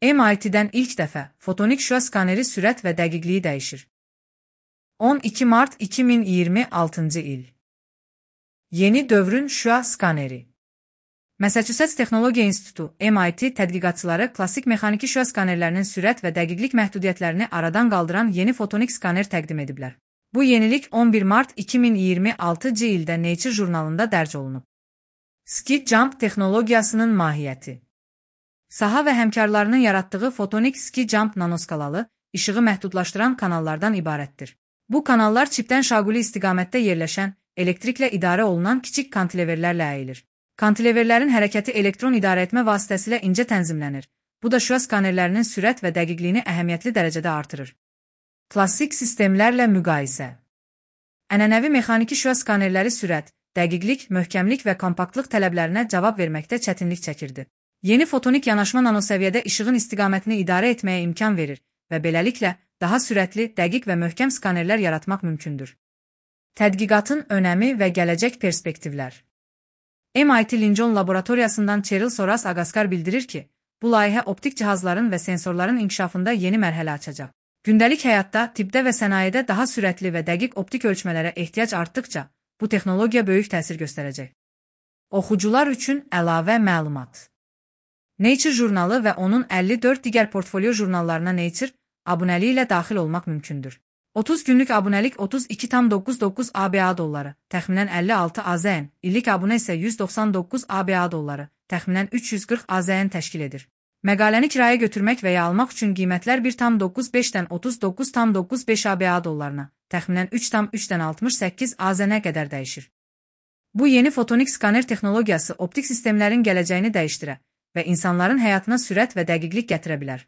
MIT-dən ilk dəfə fotonik şüa skaneri sürət və dəqiqliyi dəyişir. 12 mart 2026-cı il. Yeni dövrün şüa skaneri. Massachusetts Texnologiya İnstitutu MIT tədqiqatçıları klassik mexaniki şüa skanerlərinin sürət və dəqiqlik məhdudiyyətlərini aradan qaldıran yeni fotonik skaner təqdim ediblər. Bu yenilik 11 mart 2026-cı ildə Nature jurnalında dərc olunub. Ski Jump texnologiyasının mahiyyəti. Saha və həmkarlarının yaratdığı fotonik Ski Jump nanoskalalı, işığı məhdudlaşdıran kanallardan ibarətdir. Bu kanallar çipdən şaquli istiqamətdə yerləşən, elektriklə idarə olunan kiçik kantileverlərlə əyilir. Kantileverlərin hərəkəti elektron idarəetmə vasitəsilə incə tənzimlənir. Bu da şüa skanerlərinin sürət və dəqiqliyini əhəmiyyətli dərəcədə artırır. Klassik sistemlərlə müqayisə. Ənənəvi mexaniki şüa skanerləri sürət, dəqiqlik, möhkəmlik və kompaktlıq tələblərinə cavab verməkdə çətinlik çəkirdi. Yeni fotonik yanaşma nanosəviyyədə işığın istiqamətini idarə etməyə imkan verir və beləliklə daha sürətli, dəqiq və möhkəm skanerlər yaratmaq mümkündür. Tədqiqatın önəmi və gələcək perspektivlər. MIT Lincoln laboratoriyasından Cheryl Soras Agaskar bildirir ki, bu layihə optik cihazların və sensorların inkişafında yeni mərhələ açacaq. Gündəlik həyatda, tibbdə və sənayedə daha sürətli və dəqiq optik ölçmələrə ehtiyac artdıqca, bu texnologiya böyük təsir göstərəcək. Oxucular üçün əlavə məlumat. Nature jurnalı və onun 54 digər portfolio jurnallarına Nature abunəliyi ilə daxil olmaq mümkündür. 30 günlük abunəlik 32,99 ABA dolları, təxminən 56 AZN, illik abunə isə 199 ABA dolları, təxminən 340 AZN təşkil edir. Məqaləni kiraya götürmək və ya almaq üçün qiymətlər 1,95-dən 39,95 ABA dollarına, təxminən 3,3-dən 68 AZN-ə qədər dəyişir. Bu yeni fotonik skaner texnologiyası optik sistemlərin gələcəyini dəyişdirə və insanların həyatına sürət və dəqiqlik gətirə bilər.